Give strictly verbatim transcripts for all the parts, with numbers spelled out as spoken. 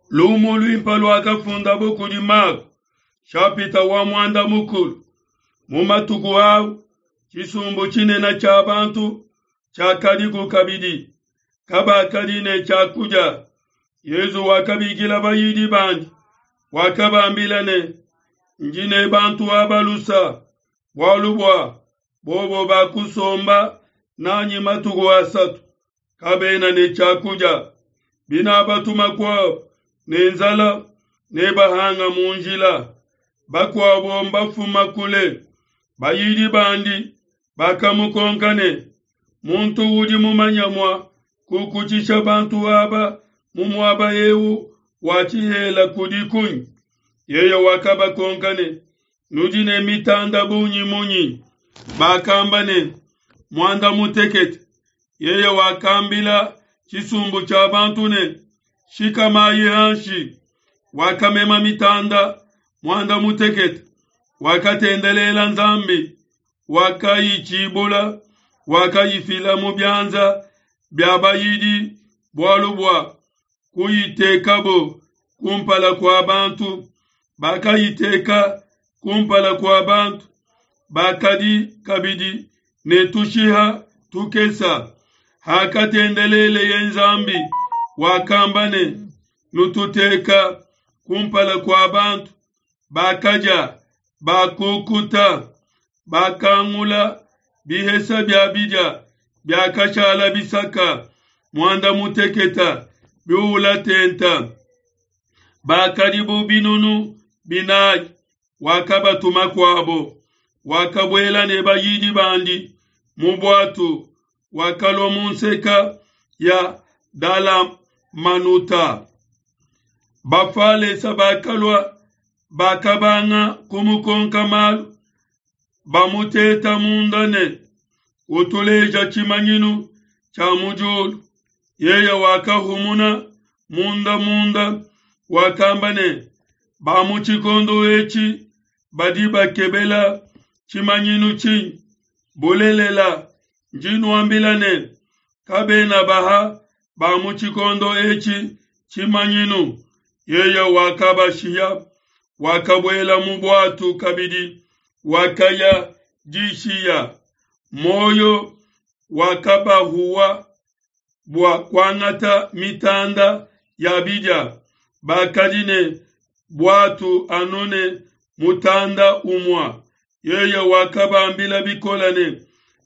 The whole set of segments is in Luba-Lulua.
Lumu luimpe luakafundabo kudi Mako, shapita wa muanda mukulu. Mu matuku au tshisumbu tshinene tshia bantu tshiakadiku kabidi, kabakadi ne tshiakudia. Yesu wakabikila bayidi bandi, wakabambila ne, ndi ne bantu aba lusa, bualu bua bobo bakusomba nanyi matuku asatu, kabena ne tshiakudia. Binabatuma kuabo ne nzala, nebahanga mu njila, bakuabo mbafuma kule. Bayidi bandi bakamukonka ne, muntu udi mumanya mua kukutshisha bantu aba mu muaba eu wa tshihela kudi kunyi? Yeye wakabakonka ne, nudi ne mitanda bungi munyi? Bakamba ne, muanda mutekete. Yeye wakambila tshisumbu tshia bantu ne, shikamayi hanshi. Wakamema mitanda muanda mutekete, wakatendelela Nzambi, wakayitshibula, wakayifila mu bianza bia bayidi bualu bua kuyitekabo kumpala kua bantu. Bakayiteka kumpala kua bantu. Bakadi kabidi ne tushiha tukesa. Hakatendeleleye Nzambi, wakamba ne, nututeka kumpala kua bantu. Bakadia, bakukuta, bakangula bihesa bia bidia biakashala bisaka muanda muteketa biula tenta. Bakadi bu binunu binayi. Wakabatuma kuabo, wakabuela ne bayidi bandi mu buatu, wakalua mu nseka ya Dalamanuta. Bafalesa bakalua, bakabanga kumukonka malu, bamuteta munda ne, utuleja tshimanyinu tshia mu diulu. Yeye wakahumuna munda munda, wakamba ne, ba mu tshikondo etshi badi bakebela tshimanyinu tshinyi? Bulelela, ndi nuambila ne, kabena baha ba mu tshikondo etshi tshimanyinu. Yeye wakabashiya, wakabuela mu buatu kabidi, wakaya dishiya. Moyo wakabahuwa bua kuangata mitanda ya bidia. Bakadi ne buatu anu ne mutanda umua. Yeye wakabambila bikola ne,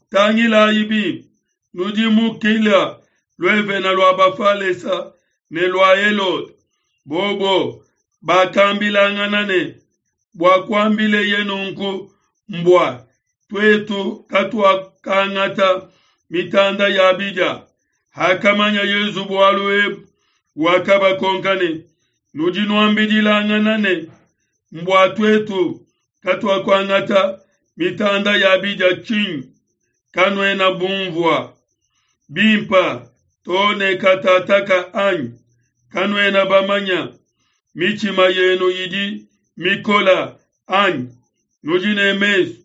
tangilayi bimpe, nudimukila luevena lua Bafalesa ne lua Helode. Bobo bakambilangana ne, bua kuambileye nunku mbua tuetu katuakangata mitanda ya bidia. Hakamanya Yesu bualu ebu, wakabakonka ne, nudi nuambidilangana ne, mbua tuetu katuakuangata mitanda ya bidia tshinyi? Kanuena bumvua bimpa to ne katataka anyi? Kanuena bamanya mitshima yenu idi mikola anyi? Nudi ne mesu,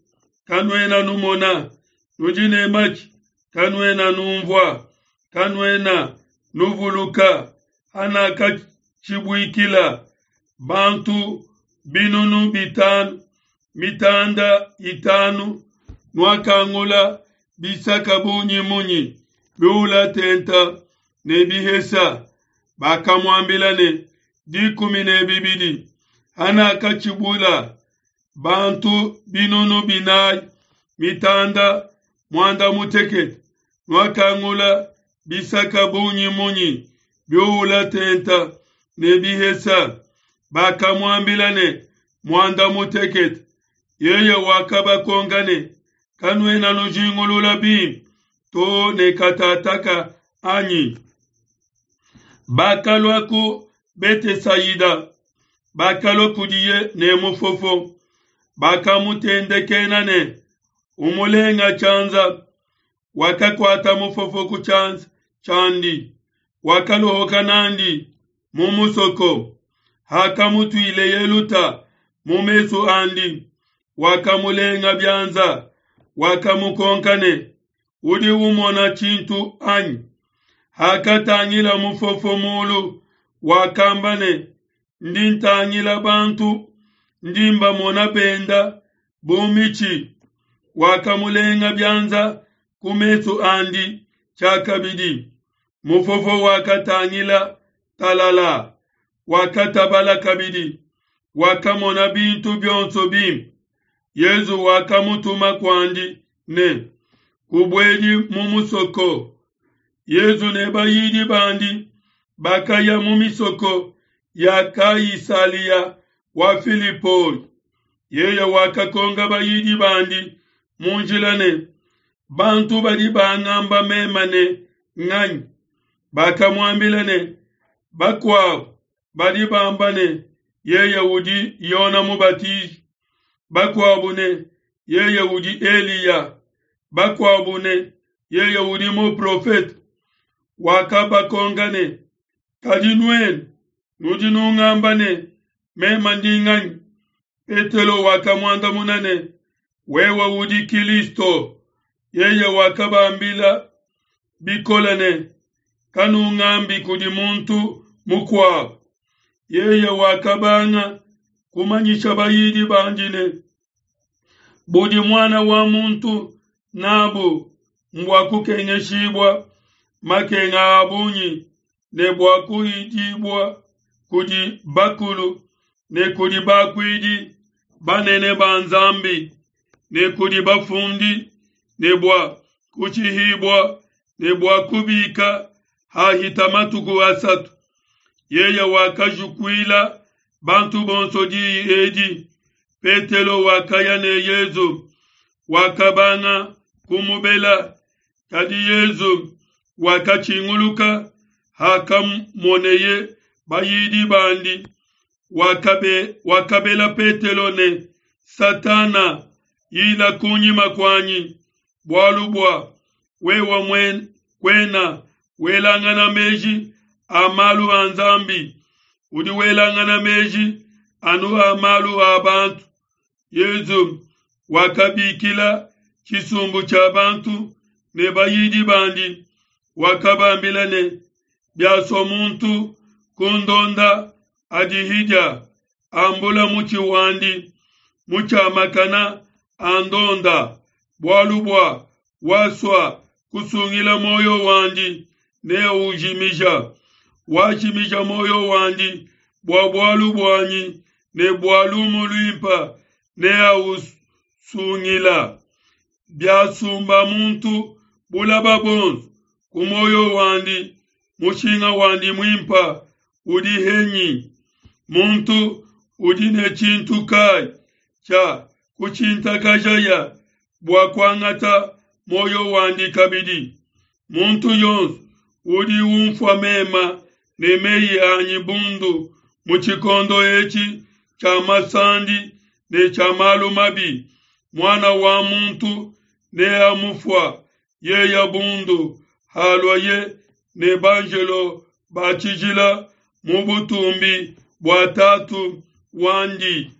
kanuena numona, nudi ne matshi, kanuena numvua, kanuena nuvuluka hanakatshibuikila bantu binunu bitanu mitanda itanu, nuakangula bisaka bungi munyi biula tenta ne bihesa? Bakamuambila ne, dikumi ne bibidi. Hanakatshibula bantu binunu binayi mitanda muanda mutekete, nuakangula bisaka bungi munyi biula tenta ne bihesa? Bakamuambila ne, muanda mutekete. Yeye wakabakonka ne, kanuena nujingulula bimpe to ne katataka anyi? Bakalua ku Betesaida, bakalua kudiye ne mufofo, bakamutendekena ne, umulenga tshianza. Wakakuata mufofo ku tshianza tshiandi, wakalohoka nandi mu musoko. Hakamutuileye luta mu mesu andi, wakamulenga bianza, wakamukonka ne, udi umona tshintu anyi? Hakatangila mufofo mulu, Wakamba ne, Ndi ntangila bantu, ndi mbamona benda bu mitshi. Wakamulenga bianza ku mesu andi tshiakabidi. Mufofo wakatangila talala, wakatabala kabidi, wakamona bintu bionso bimpe. Yezu wakamutuma kuandi ne, Kubuedi mu musoko. Yezu ne bayidi bandi bakaya mu misoko ya Kaisalia wa Filipoi. Yeye wakakonka bayidi bandi mu njila ne, Bantu badi bangamba meme ne nganyi? Bakamuambila ne, Bakuabo badi bamba ne, Yeye udi Yone Mubatiji, bakuabo ne, Yeye udi Eliya, bakuabo ne, Yeye udi muprofete. Wakabakonka ne, Kadi nuenu nudi nungamba ne, meme ndi nganyi? Petelo wakamuandamuna ne, Wewe udi Kilisto. Yeye wakabambila bikole ne, Kanungambi kudi muntu mukuabo. Yeye wakabanga kumanyisha bayidi bandi ne, Budi Muana wa muntu nabu mbua kukengeshibua makenga a bungi ne bua kuhidibua kudi bakulu ne kudi bakuidi banene ba Nzambi ne kudi bafundi ne bua kushihibua ne bua kubika hahita matuku asatu. Yeye wakajukuila bantu bonso diyi edi. Petelo wakaya ne Yezu, wakabanga kumubela. Kadi Yezu wakatshinguluka hakamoneye bayidi bandi, wakabe, wakabela Petelo ne, Satana, yila kunyima kuanyi, bualu bua wewe muen, kuena welangana meji a malu a Nzambi, udi welangana meji anu a malu a bantu. Yezu wakabikila tshisumbu tshia bantu ne bayidi bandi, wakabambila ne, Biasua muntu kundonda, adihidia, ambula mutshi wandi mutshiamakana, andonda. Bualu bua wasua kusungila muoyo wandi neaujimija, wajimija muoyo wandi bua bualu buanyi ne bua lumu luimpe neausungila. Biasumba muntu bulaba bonso ku muoyo wandi, mushinga wandi muimpe udi henyi? Muntu udi ne tshintu kai tshia kutshintakajaya bua kuangata muoyo wandi kabidi? Muntu yonso udi unfua mema ne meyi anyi bundu mu tshikondo etshi tshia masandi ne tshia malu mabi, Muana wa muntu neamufua yeye bundu haluaye ne banjelo ba tshijila mu butumbi bua Tatu wandi.